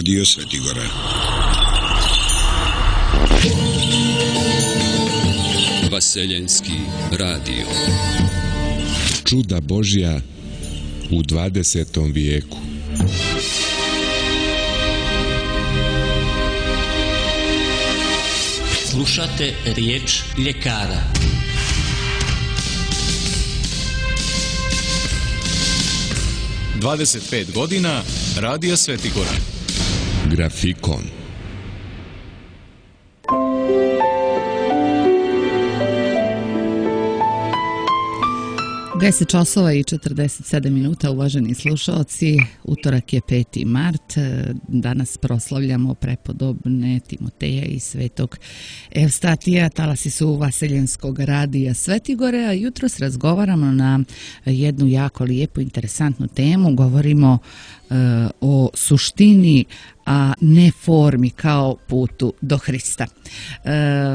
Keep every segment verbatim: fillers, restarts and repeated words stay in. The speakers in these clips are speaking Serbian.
Radio Svetigora. Vaseljenski radio. Čuda Božja u dvadesetom vijeku. Slušate riječ ljekara. dvadeset pet godina Radio Svetigora. Grafikon. deset časova i četrdeset sedam minuta, uvaženi slušalci. Utorak je peti mart. Danas proslavljamo prepodobne Timoteja i svetog Evstatija. Talasi su Vaseljenskog radija Svetigore, a jutros razgovaramo na jednu jako lijepu, interesantnu temu. Govorimo uh, o suštini, a ne formi kao putu do Hrista. E,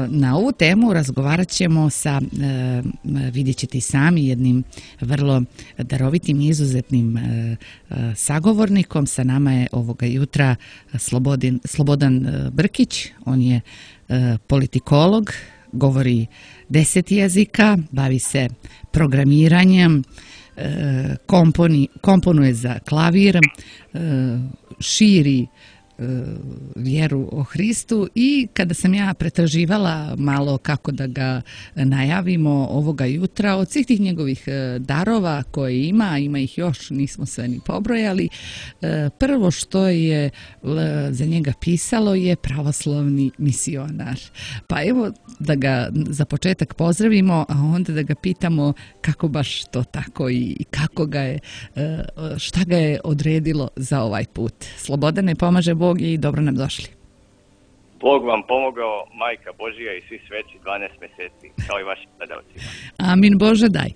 na ovu temu razgovarat ćemo sa, e, vidjet ćete i sami, jednim vrlo darovitim i izuzetnim e, sagovornikom. Sa nama je ovoga jutra Slobodin, Slobodan Brkić. On je e, politikolog, govori deset jezika, bavi se programiranjem, e, komponi, komponuje za klavir, e, širi vjeru o Hristu. I kada sam ja pretraživala malo kako da ga najavimo ovoga jutra, od svih tih njegovih darova koje ima, ima ih još, nismo sve ni pobrojali, prvo što je za njega pisalo je pravoslavni misionar. Pa evo da ga za početak pozdravimo, a onda da ga pitamo kako baš to tako i kako ga je, šta ga je odredilo za ovaj put. Slobodane, pomaže Bog i dobro nam došli. Bog vam pomogao, Majka Božija i svi sveci dvanaest mjeseci, kao i vašim gledalcima. Amin Bože, daj.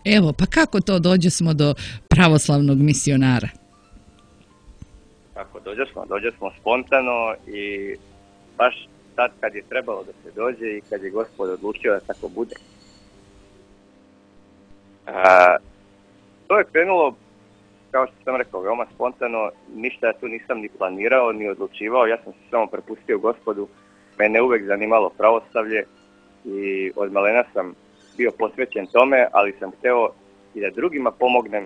Evo, pa kako to dođe smo do pravoslavnog misionara? Kako dođe smo? Dođe smo spontano i baš tad kad je trebalo da se dođe i kad je Gospod odlučio da tako bude. A, to je krenulo, kao što sam rekao, veoma spontano, ništa ja tu nisam ni planirao, ni odlučivao, ja sam se samo prepustio Gospodu, mene uvek zanimalo pravoslavlje i od malena sam bio posvećen tome, ali sam hteo i da drugima pomognem,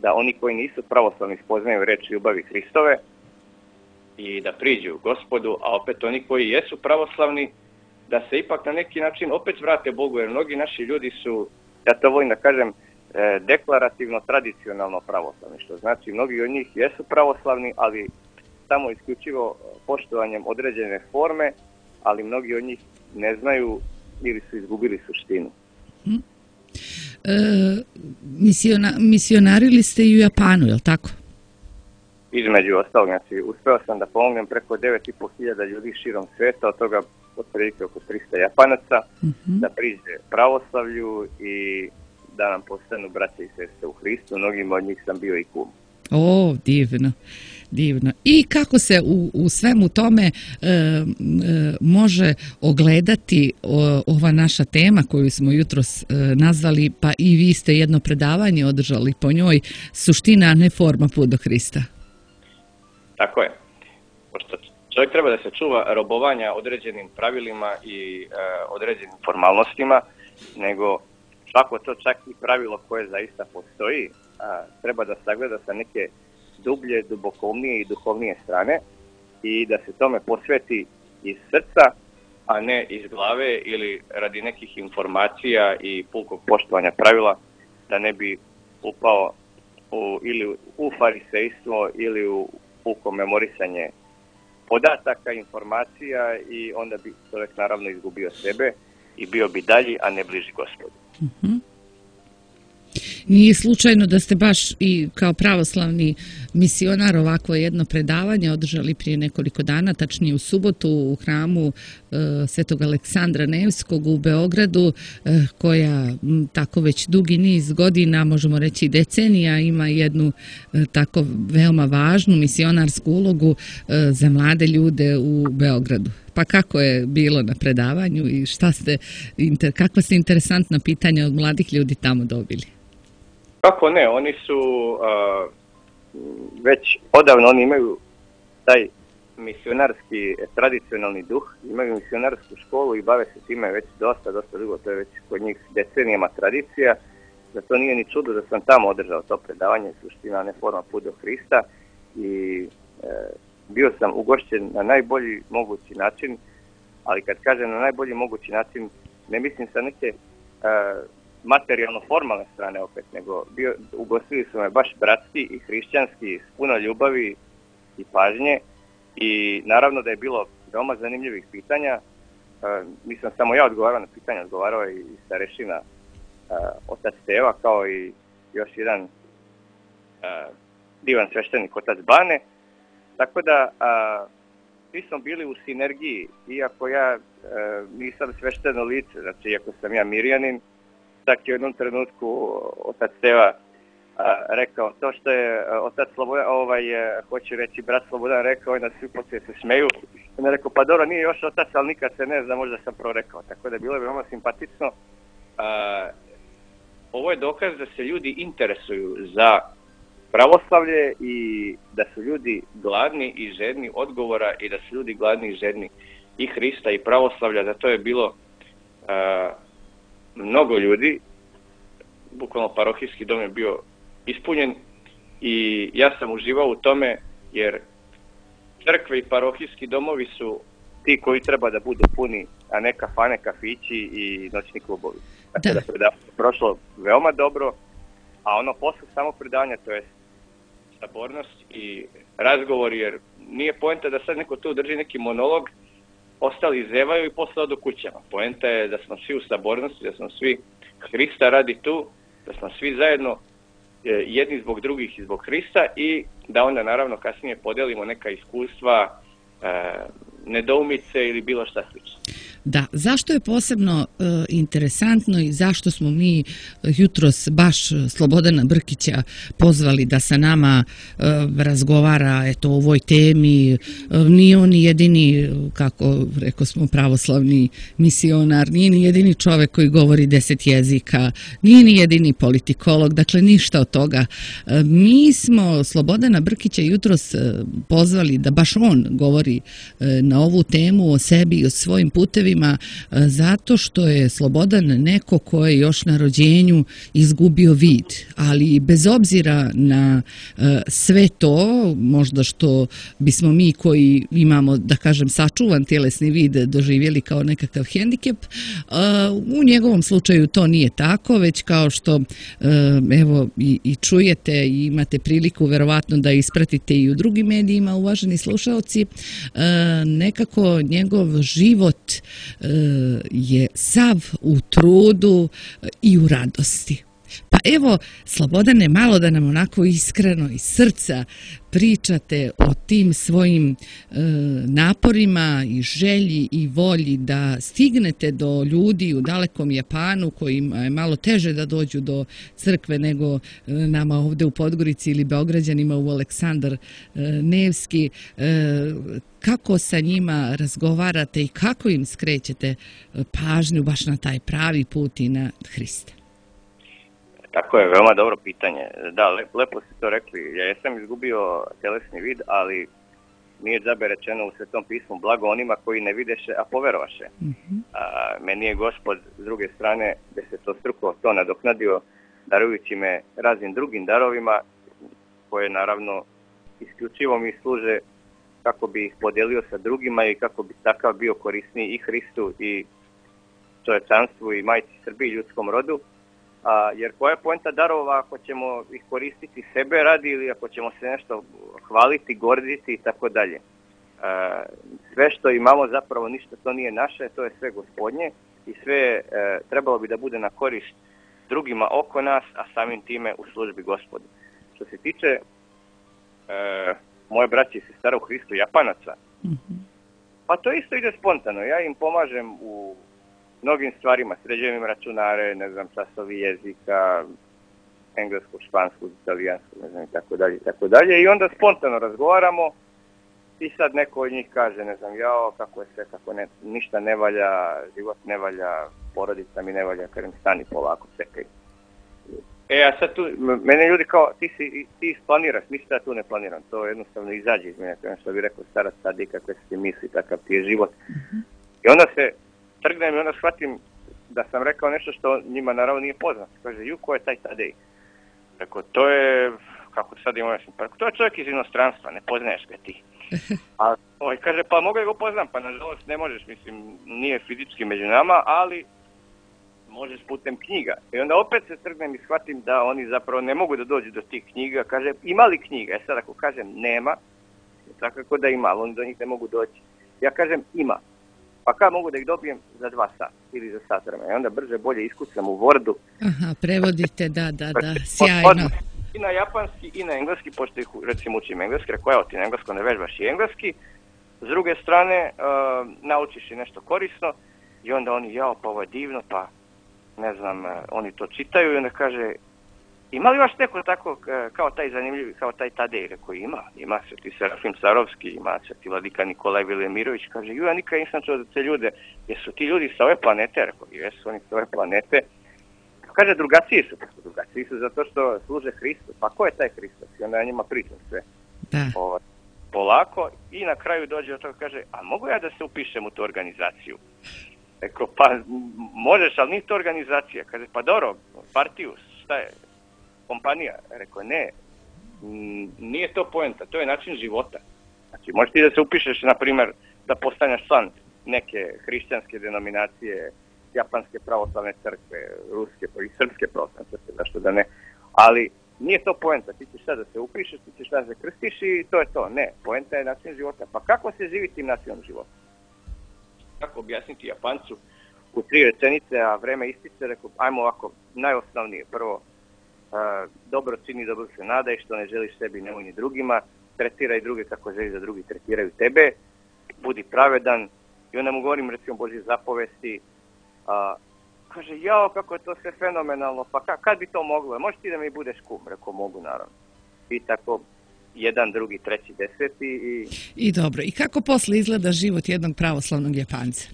da oni koji nisu pravoslavni spoznaju reč ljubavi Hristove i da priđu Gospodu, a opet oni koji jesu pravoslavni, da se ipak na neki način opet vrate Bogu, jer mnogi naši ljudi su, ja to volim da kažem, deklarativno, tradicionalno pravoslavni, što znači mnogi od njih jesu pravoslavni, ali samo isključivo poštovanjem određene forme, ali mnogi od njih ne znaju ili su izgubili suštinu. Hmm. E, misiona, misionarili ste i u Japanu, je li tako? Između ostalog, znači uspeo sam da pomognem preko devet i po hiljada ljudi širom sveta, od toga otprilike oko tristo Japanaca, uh-huh. da priđe pravoslavlju i da nam postanu braće i sestre u Hristu. Mnogima od njih sam bio i kum. O, divno, divno. I kako se u, u svemu tome e, e, može ogledati o, ova naša tema koju smo jutros e, nazvali, pa i vi ste jedno predavanje održali po njoj, suština, a ne forma, put do Hrista. Tako je. Pošto čovjek treba da se čuva robovanja određenim pravilima i e, određenim formalnostima, nego svako to čak i pravilo koje zaista postoji, a, treba da sagleda sa neke dublje, dubokovnije i duhovnije strane i da se tome posveti iz srca, a ne iz glave ili radi nekih informacija i pukog poštovanja pravila, da ne bi upao u, ili u farisejstvo ili u puko memorisanje podataka, informacija i onda bi čovjek naravno izgubio sebe i bio bi dalji, a ne bliži Gospodu. Uh-huh. Nije slučajno da ste baš i kao pravoslavni misionar ovako jedno predavanje održali prije nekoliko dana, tačnije u subotu u hramu e, Svetog Aleksandra Nevskog u Beogradu, e, koja m, tako već dugi niz godina, možemo reći decenija, ima jednu e, tako veoma važnu misionarsku ulogu e, za mlade ljude u Beogradu. Pa kako je bilo na predavanju i šta ste, inter, kakva ste interesantna pitanja od mladih ljudi tamo dobili? Kako ne, oni su uh, već odavno oni imaju taj misionarski tradicionalni duh, imaju misionarsku školu i bave se time već dosta, dosta dugo, to je već kod njih decenijama tradicija, da to nije ni čudo da sam tamo održao to predavanje, suština, ne forma, put do Hrista i e, bio sam ugošćen na najbolji mogući način, ali kad kažem na najbolji mogući način, ne mislim sa neke e, materijalno-formalne strane opet, nego bio, ugostili su me baš bratski i hrišćanski, s puno ljubavi i pažnje i naravno da je bilo veoma zanimljivih pitanja. E, nisam samo ja odgovarao na pitanja, odgovarao je i starešina e, otac Teva, kao i još jedan e, divan sveštenik otac Bane, tako da a, svi smo bili u sinergiji, iako ja e, nisam svešteno lice, znači iako sam ja Mirjanin, čak i u jednom trenutku otac Teva a, rekao to što je a, otac Slobodan, ovaj, je, hoću reći brat Slobodan rekao i na svi poslije se smeju. On je rekao pa dobro nije još otac, ali nikad se ne zna, možda sam prorekao, tako da je bilo veoma simpatično. A, ovo je dokaz da se ljudi interesuju za pravoslavlje i da su ljudi gladni i žedni odgovora i da su ljudi gladni i žedni i Hrista i pravoslavlja, zato je bilo uh, mnogo ljudi, bukvalno parohijski dom je bio ispunjen i ja sam uživao u tome jer crkve i parohijski domovi su ti koji treba da budu puni, a ne kafane, kafići i noćni klubovi. Tako da, da predavanje je prošlo veoma dobro, a ono posle samo predavanja, to je sabornost i razgovor, jer nije poenta da sad neko tu drži neki monolog, ostali zevaju i posle odu kućama. Poenta je da smo svi u sabornosti, da smo svi Hrista radi tu, da smo svi zajedno jedni zbog drugih i zbog Hrista i da onda naravno kasnije podelimo neka iskustva, nedoumice ili bilo šta slično. Da, zašto je posebno e, interesantno i zašto smo mi jutros baš Slobodana Brkića pozvali da sa nama e, razgovara eto, o ovoj temi. E, nije on jedini, kako rekao smo, pravoslavni misionar, nije ni jedini čovek koji govori deset jezika, nije ni jedini politikolog, dakle ništa od toga. E, mi smo Slobodana Brkića jutros e, pozvali da baš on govori e, na ovu temu o sebi i o svojim putevima, zato što je Slobodan neko ko je još na rođenju izgubio vid, ali bez obzira na sve to, možda što bismo mi koji imamo, da kažem, sačuvan tjelesni vid doživjeli kao nekakav hendikep, u njegovom slučaju to nije tako, već kao što evo i, i čujete i imate priliku verovatno da ispratite i u drugim medijima, uvaženi slušaoci, nekako njegov život je sav u trudu i u radosti. Pa evo, Slobodane, malo da nam onako iskreno iz srca pričate o tim svojim e, naporima i želji i volji da stignete do ljudi u dalekom Japanu kojima je malo teže da dođu do crkve nego e, nama ovdje u Podgorici ili Beograđanima u Aleksandar e, Nevski. E, kako sa njima razgovarate i kako im skrećete pažnju baš na taj pravi put i na Hrista? Tako je, veoma dobro pitanje. Da, lepo ste to rekli. Ja jesam izgubio telesni vid, ali nije džabe rečeno u Svetom pismu blago onima koji ne videše, a poverovaše. Mm-hmm. A, meni je Gospod s druge strane desetostruko to nadoknadio, darujući me raznim drugim darovima, koje naravno isključivo mi služe kako bi ih podelio sa drugima i kako bi takav bio korisniji i Hristu i čovječanstvu i majci Srbiji i ljudskom rodu. A, jer koja je poenta darova ako ćemo ih koristiti sebe radi ili ako ćemo se nešto hvaliti, gorditi i tako dalje. Sve što imamo zapravo ništa to nije naše, to je sve Gospodnje i sve e, trebalo bi da bude na korist drugima oko nas, a samim time u službi Gospodu. Što se tiče e, moje braće i sestara u Hristu Japanaca, mm-hmm. pa to isto ide spontano. Ja im pomažem u mnogim stvarima, sređujem im računare, ne znam, časovi jezika, engleskog, španskog, italijanskog, ne znam, i tako dalje, i tako dalje. I onda spontano razgovaramo i sad neko od njih kaže, ne znam, jao, kako je sve, kako ne, ništa ne valja, život ne valja, porodica mi ne valja, kažem, stani polako, čekaj. E, a sad tu, m- mene ljudi kao, ti si, ti isplaniraš, mislim da ja tu ne planiram, to jednostavno izađe iz mene, kao što bi rekao starac tada, kakve se ti misli, takav ti je život. Uh-huh. I onda se trgnem i onda shvatim da sam rekao nešto što njima naravno nije poznato. Kaže, ju, ko je taj Tadej? Rekao, to je, kako sad imam jasno, pa to je čovjek iz inostranstva, ne poznaješ ga ti. A ovaj, kaže, pa mogu ga poznam, pa nažalost ne možeš, mislim, nije fizički među nama, ali možeš putem knjiga. I onda opet se trgnem i shvatim da oni zapravo ne mogu da dođu do tih knjiga. Kaže, ima li knjiga? E sad ako kažem nema, svakako da ima, ali oni do njih ne mogu doći. Ja kažem ima. Pa kad mogu da ih dobijem za dva sata ili za sat vremena. I onda brže bolje iskucam u Wordu. Aha, prevodite, da, da, da, sjajno. I na japanski i na engleski, pošto ih recimo učim engleski, rekao, evo ti na englesko ne vežbaš i engleski. S druge strane, uh, naučiš i nešto korisno i onda oni, jao, pa ovo je divno, pa ne znam, uh, oni to čitaju i onda kaže, ima li vaš neko tako uh, kao taj zanimljivi, kao taj Tadej? Rekao, ima, ima se ti Serafim Sarovski, ima se ti Vladika Nikolaj Vilemirović, kaže, ju, ja nikad nisam čuo da te ljude, jesu ti ljudi sa ove planete? Rekao, jesu oni sa ove planete. Kaže, drugačiji su, pa su drugačiji su zato što služe Hristu. Pa ko je taj Hristos? I onda ja njima pričam sve. Da. O, polako i na kraju dođe od toga kaže, a mogu ja da se upišem u tu organizaciju? Rekao, pa možeš, ali nije to organizacija. Kaže, pa dobro, partiju, šta je? Kompanija? Rekao, ne, nije to poenta, to je način života. Znači, možeš ti da se upišeš, na primjer, da postaneš član neke hrišćanske denominacije, japanske pravoslavne crkve, ruske i srpske pravoslavne crkve, zašto da ne, ali nije to poenta, ti ćeš sad da se upišeš, ti ćeš da se krstiš i to je to, ne, poenta je način života. Pa kako se živi tim načinom života? Kako objasniti Japancu u tri rečenice, a vreme ističe, rekao, ajmo ovako, najosnovnije, prvo, uh, dobro čini, dobro se nadaj, što ne želiš sebi, nemoj ni drugima, tretiraj druge kako želiš da drugi tretiraju tebe, budi pravedan, i onda mu govorim, recimo, Božje zapovesti. A, kaže, jao, kako je to sve fenomenalno, pa ka, kad bi to moglo? Možeš ti da mi budeš kum? Rekao, mogu, naravno. I tako, jedan, drugi, treći, deseti i... I dobro, i kako posle izgleda život jednog pravoslavnog Japanca?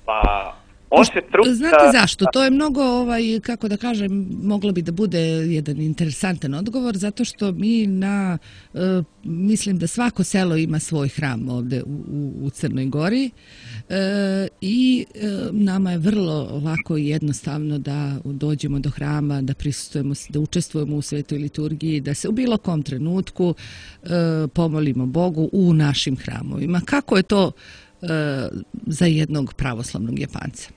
Pa, on se truda... Znate zašto? To je mnogo, ovaj, kako da kažem, moglo bi da bude jedan interesantan odgovor, zato što mi na, e, mislim da svako selo ima svoj hram ovde u, u Crnoj Gori e, i e, nama je vrlo lako i jednostavno da dođemo do hrama, da prisustujemo, da učestvujemo u svetoj liturgiji, da se u bilo kom trenutku e, pomolimo Bogu u našim hramovima. Kako je to e, za jednog pravoslavnog Japanca?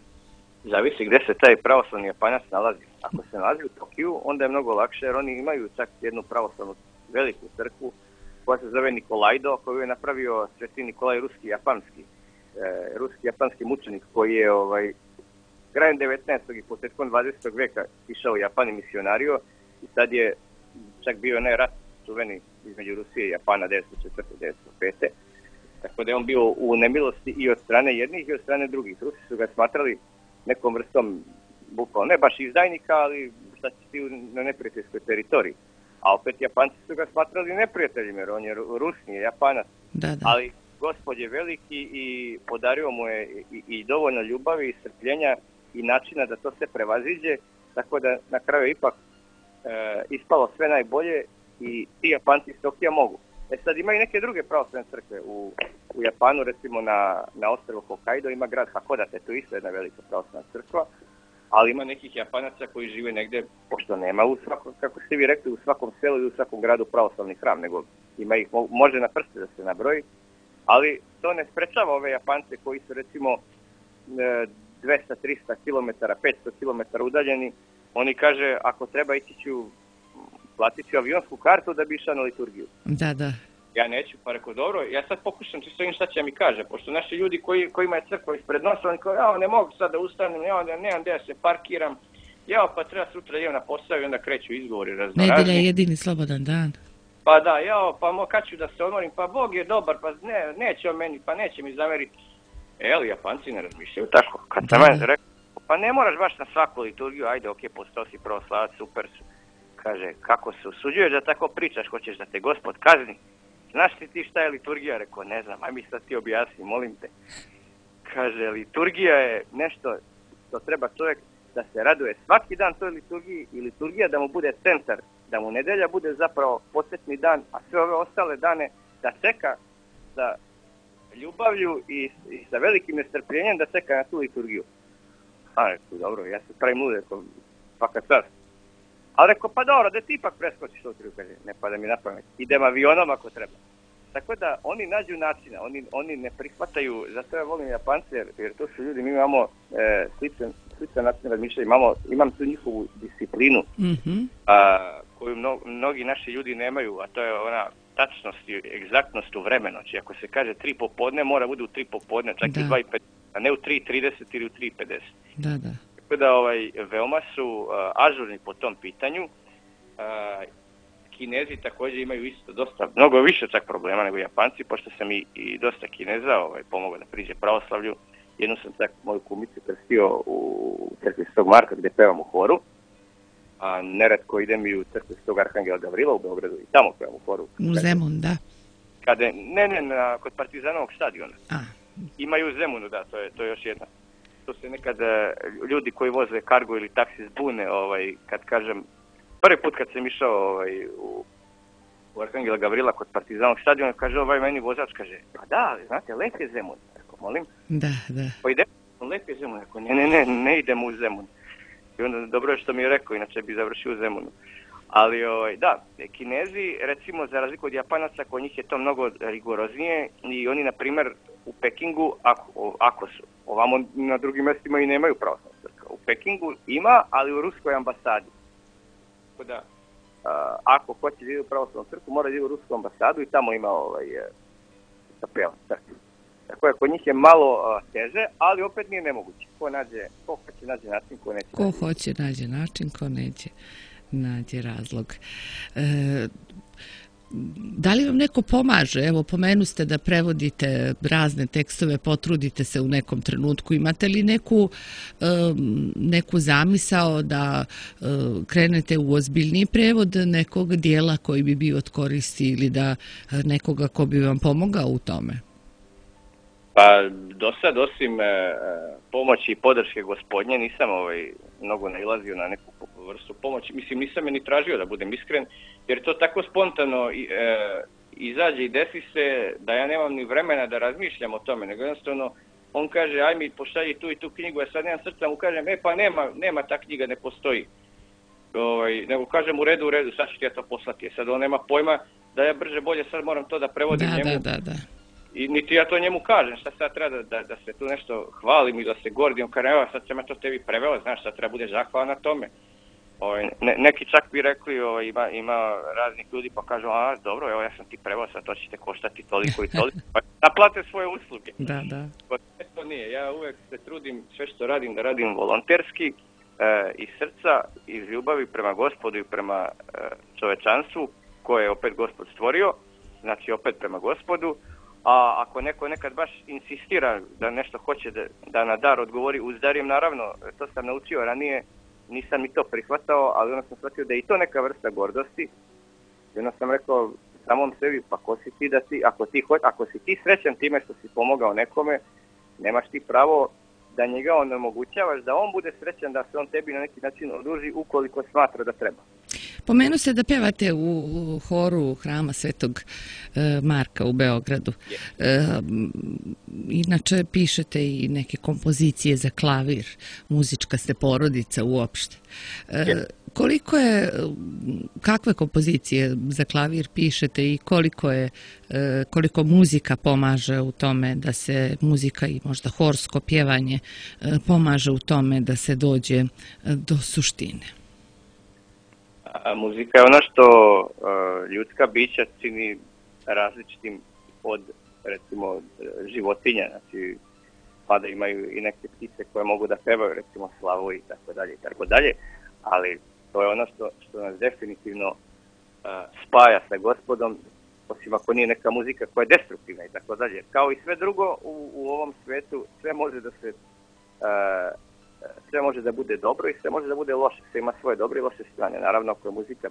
Zavisi gdje se taj pravoslavni Japanac nalazi. Ako se nalazi u Tokiju, onda je mnogo lakše, jer oni imaju čak jednu pravoslavnu veliku crkvu koja se zove Nikolajdo, koju je napravio Sveti Nikolaj Ruski Japanski. E, Ruski Japanski mučenik koji je ovaj, krajem devetnaestog i početkom dvadesetog veka išao u Japan i misionario i sad je čak bio onaj rat čuveni između Rusije i Japana devetsto četvrte do devetsto pete. Tako da je on bio u nemilosti i od strane jednih i od strane drugih. Rusi su ga smatrali nekom vrstom bukvalno, ne baš izdajnika, ali šta će ti na neprijateljskoj teritoriji. A opet Japanci su ga smatrali neprijateljima, jer on je Rus, nije Japanac. Da, da. Ali Gospod je veliki i podario mu je i, i dovoljno ljubavi i strpljenja i načina da to se prevaziđe, tako da na kraju ipak e, ispalo sve najbolje i ti Japanci iz Tokija mogu. E sad ima i neke druge pravoslavne crkve u, u Japanu, recimo na, na ostrvu Hokkaido ima grad Hakodate, to je isto jedna velika pravoslavna crkva, ali ima nekih Japanaca koji žive negde, pošto nema u svakom, kako ste vi rekli, u svakom selu i u svakom gradu pravoslavni hram, nego ima ih, može na prste da se nabroji, ali to ne sprečava ove Japance koji su recimo dvesta do trista kilometara, petsto kilometara udaljeni, oni kaže, ako treba ići ću platit ću avionsku kartu da bi išao na liturgiju. Da, da. Ja neću, pa rekao, dobro, ja sad pokušam čisto im šta će mi kaže, pošto naši ljudi koji, kojima je crkva ispred nosa, oni kao, ja ne mogu sad da ustanem, ja nemam gdje da se parkiram, ja pa treba sutra idem na posao i onda kreću izgovori raznorazni. Nedelja je jedini slobodan dan. Pa da, ja pa mo, kad ću da se odmorim, pa Bog je dobar, pa ne, neće on meni, pa neće mi zameriti. E, ali Japanci ne razmišljaju tako. Kad sam ja rekao, pa ne moraš baš na svaku liturgiju, ajde, ok, postao si pravoslavac, super su. Kaže, kako se usuđuješ da tako pričaš, hoćeš da te Gospod kazni? Znaš li ti šta je liturgija? Rekao, ne znam, aj mi sad ti objasni, molim te. Kaže, liturgija je nešto što treba čovjek da se raduje svaki dan toj liturgiji i liturgija da mu bude centar, da mu nedelja bude zapravo početni dan, a sve ove ostale dane da čeka sa ljubavlju i, i sa velikim nestrpljenjem da čeka na tu liturgiju. A rekao, dobro, ja se pravim lude, rekao, svaka čast. Ali rekao, pa dobro, da ti ipak preskočiš to liturgiju, kaže, ne pada mi na pamet, idem avionom ako treba. Tako da oni nađu načina, oni, oni ne prihvataju, zato ja volim Japance, jer, jer to su ljudi, mi imamo e, sličan, sličan način razmišljanja, imamo, imam tu njihovu disciplinu, mm-hmm. a, koju mno, mnogi naši ljudi nemaju, a to je ona tačnost i egzaktnost u vremenu. Znači, ako se kaže tri popodne, mora bude u tri popodne, čak da. I dva i pedeset, a ne u tri trideset ili u tri pedeset. Da, da. Tako da ovaj, veoma su uh, ažurni po tom pitanju. Uh, Kinezi također imaju isto dosta, mnogo više čak problema nego Japanci, pošto sam i, i dosta Kineza ovaj, pomogao da priđe pravoslavlju. Jednu sam čak moju kumicu krstio u crkvi Svetog Marka gdje pevam u horu, a neretko idem i u crkvi Svetog Arhangela Gavrila u Beogradu i tamo pevam u horu. U Zemun, da. Kada, ne, ne, na, kod Partizanovog stadiona. A. Imaju u Zemunu, da, to je, to je još jedna. To se nekad ljudi koji voze kargo ili taksi zbune, ovaj, kad kažem, prvi put kad sam išao ovaj, u, u Arhangela Gavrila kod Partizanovog stadiona, kaže ovaj meni vozač, kaže, pa da, znate, lep je Zemun. Rekao, molim? Da, da. Pa idemo, lep je Zemun. Rekao, ne, ne, ne, ne idemo u Zemun. I onda dobro je što mi je rekao, inače bi završio u Zemunu. Ali ovaj, da, Kinezi, recimo, za razliku od Japanaca, kod njih je to mnogo rigoroznije i oni, na primjer, u Pekingu, ako, ako su, ovamo na drugim mjestima i nemaju pravoslavnu crkvu. U Pekingu ima, ali u ruskoj ambasadi. Tako da, a, ako hoće da ide u pravoslavnu crkvu, mora da ide u rusku ambasadu i tamo ima ovaj, kapela. Tako je, kod njih je malo a, teže, ali opet nije nemoguće. Ko nađe, ko hoće nađe način, ko neće. Ko nađe. hoće nađe način, ko neće nađe razlog. E, da li vam neko pomaže? Evo, pomenu ste da prevodite razne tekstove, potrudite se u nekom trenutku. Imate li neku, neku zamisao da krenete u ozbiljniji prevod nekog dijela koji bi bio od koristi ili da nekoga ko bi vam pomogao u tome? Pa, do sad, osim e, pomoći i podrške Gospodnje, nisam ovaj, mnogo nailazio na neku vrstu pomoći. Mislim, nisam je ni tražio, da budem iskren, jer to tako spontano e, izađe i desi se da ja nemam ni vremena da razmišljam o tome, nego jednostavno on kaže, aj mi pošalji tu i tu knjigu, ja sad nemam srca, mu kažem, e pa nema, nema ta knjiga, ne postoji. Ovaj, nego kažem, u redu, u redu, sad ću ti ja to poslati. Sad on nema pojma da ja brže bolje sad moram to da prevodim da, njemu. Da, da, da. I niti ja to njemu kažem, šta sad treba da, da, da se tu nešto hvalim i da se gordim, kaže, evo sad sam ja to tebi preveo, znaš, sad treba bude zahvala na tome. O, ne, neki čak bi rekli, o, ima, ima raznih ljudi pa kažu, a dobro, evo ja sam ti preveo, sad to će te koštati toliko i toliko, pa naplate svoje usluge. Da, da. To nije, ja uvek se trudim sve što radim da radim volonterski, e, iz srca, iz ljubavi prema Gospodu i prema e, čovečanstvu koje je opet Gospod stvorio, znači opet prema Gospodu. A ako neko nekad baš insistira da nešto hoće da, da na dar odgovori uz darim, naravno, to sam naučio ranije, nisam ni to prihvatao, ali onda sam shvatio da je i to neka vrsta gordosti. I onda sam rekao samom sebi, pa ko si ti da ti, ako, ti, ako si ti srećan time što si pomogao nekome, nemaš ti pravo da njega onemogućavaš, da on bude srećan, da se on tebi na neki način oduži ukoliko smatra da treba. Pomenu se da pevate u, u horu Hrama Svetog e, Marka u Beogradu. E, inače pišete i neke kompozicije za klavir, muzička ste porodica uopšte. E, koliko je, kakve kompozicije za klavir pišete i koliko je, e, koliko muzika pomaže u tome da se muzika i možda horsko pjevanje e, pomaže u tome da se dođe do suštine? A muzika je ono što uh, ljudska bića čini različitim od, recimo, životinja. Znači, pa da imaju i neke ptice koje mogu da pevaju, recimo slavu i tako dalje i tako dalje. Ali to je ono što, što nas definitivno uh, spaja sa Gospodom, osim ako nije neka muzika koja je destruktivna i tako dalje. Kao i sve drugo u, u ovom svijetu, sve može da se... Uh, sve može da bude dobro i sve može da bude loše, sve ima svoje dobre i loše strane. Naravno, ako je muzika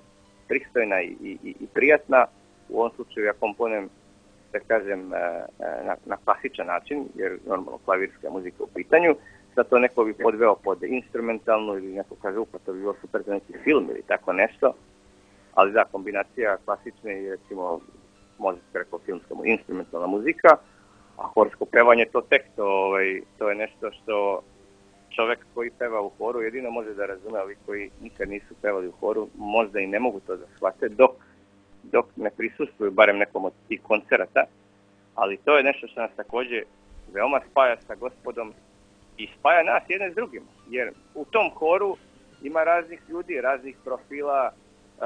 pristojna i, i, i prijatna, u ovom slučaju ja komponujem, da kažem, na, na klasičan način, jer normalno klavirska muzika u pitanju, sad to neko bi podveo pod instrumentalnu ili neko kaže upa, to bi bilo super za neki film ili tako nešto, ali da, kombinacija klasične i recimo, može se rekao filmska instrumentalna muzika, a horsko pevanje to tek, to, ovaj, to je nešto što čovjek koji peva u horu jedino može da razume, ali koji nikad nisu pevali u horu, možda i ne mogu to da shvate dok, dok ne prisustvuju barem nekom od tih koncerata, ali to je nešto što nas također veoma spaja sa Gospodom i spaja nas jedne s drugim, jer u tom horu ima raznih ljudi, raznih profila, e,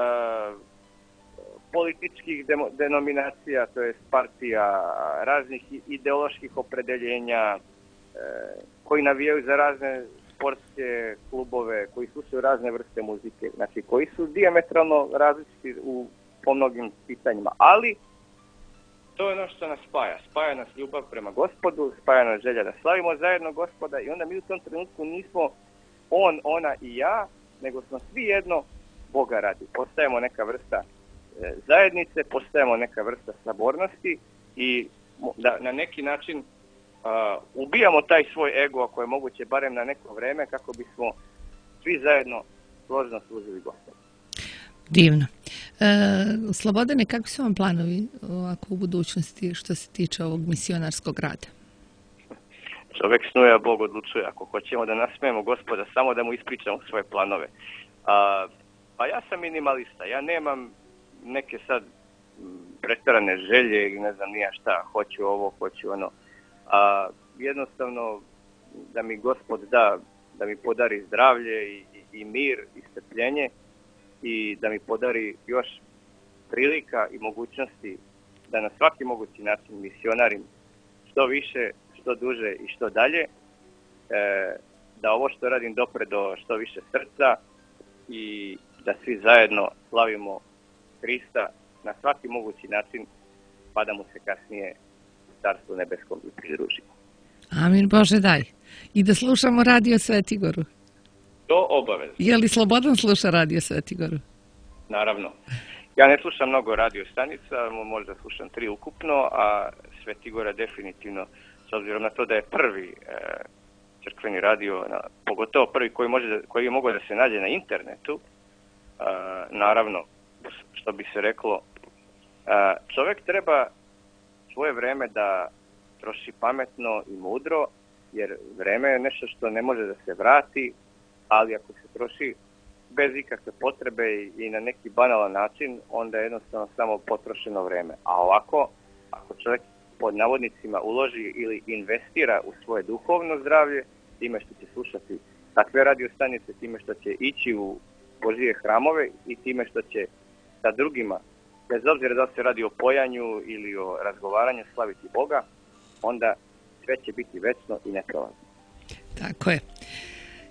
političkih demo, denominacija, to je partija, raznih ideoloških opredeljenja, e, koji navijaju za razne sportske klubove, koji slušaju razne vrste muzike, znači koji su dijametralno različiti u, po mnogim pitanjima, ali to je ono što nas spaja. Spaja nas ljubav prema Gospodu, spaja nas želja da slavimo zajedno Gospoda i onda mi u tom trenutku nismo on, ona i ja, nego smo svi jedno Boga radi. Postajemo neka vrsta e, zajednice, postajemo neka vrsta sabornosti i da na neki način uh, ubijamo taj svoj ego, ako je moguće, barem na neko vreme, kako bismo svi zajedno složno služili Gospodu. Divno. E, Slobodane, kakvi su vam planovi ovako u budućnosti što se tiče ovog misionarskog rada? Čovjek snuje, a Bog odlučuje. Ako hoćemo da nasmijemo Gospoda, samo da mu ispričamo svoje planove. A, pa ja sam minimalista. Ja nemam neke sad pretjerane želje i ne znam nija šta. Hoću ovo, hoću ono. A, jednostavno da mi Gospod da, da mi podari zdravlje i, i, i mir i strpljenje i da mi podari još prilika i mogućnosti da na svaki mogući način misionarim što više, što duže i što dalje, e, da ovo što radim dopre do što više srca i da svi zajedno slavimo Hrista na svaki mogući način, pa da mu se kasnije u Carstvu nebeskom i pridružimo. Amin, Bože daj. I da slušamo Radio Svetigoru. To obavezno. Je li Slobodan sluša Radio Svetigoru? Naravno. Ja ne slušam mnogo radio stanica, možda slušam tri ukupno, a Svetigora definitivno, s obzirom na to da je prvi e, crkveni radio, na, pogotovo prvi koji, može da, koji je mogao da se nađe na internetu, e, naravno, što bi se reklo, e, čovjek treba svoje vreme da troši pametno i mudro, jer vreme je nešto što ne može da se vrati, ali ako se troši bez ikakve potrebe i na neki banalan način, onda je jednostavno samo potrošeno vreme. A ovako, ako čovjek pod navodnicima uloži ili investira u svoje duhovno zdravlje, time što će slušati takve radio stanice, time što će ići u Božije hramove i time što će sa drugima, bez obzira da se radi o pojanju ili o razgovaranju, slaviti Boga, onda sve će biti večno i neprolazno. Tako je.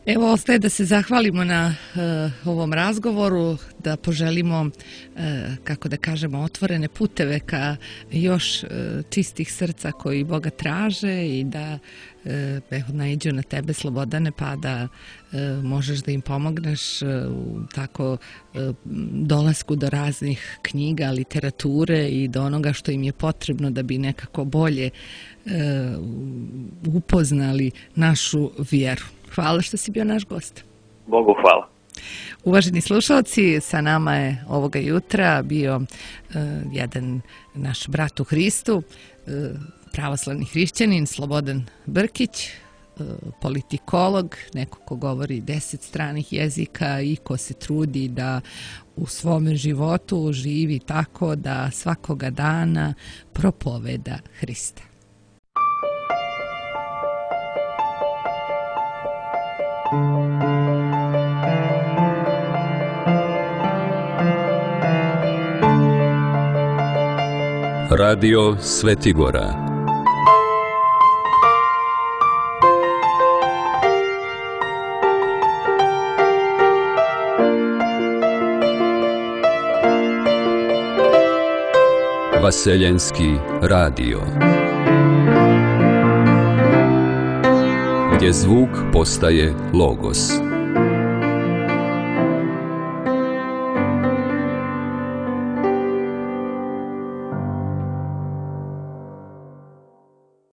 Evo, ostaje da se zahvalimo na uh, ovom razgovoru, da poželimo, uh, kako da kažemo, otvorene puteve ka još uh, čistih srca koji Boga traže i da uh, evo, naiđu na tebe, Slobodane, pa da uh, možeš da im pomogneš uh, u tako uh, dolasku do raznih knjiga, literature i do onoga što im je potrebno da bi nekako bolje uh, upoznali našu vjeru. Hvala što si bio naš gost. Bogu hvala. Uvaženi slušalci, sa nama je ovoga jutra bio uh, jedan naš brat u Hristu, uh, pravoslavni hrišćanin Slobodan Brkić, uh, politikolog, neko ko govori deset stranih jezika i ko se trudi da u svome životu živi tako da svakoga dana propoveda Hrista. Radio Svetigora. Vaseljenski radio. Gdje zvuk postaje logos.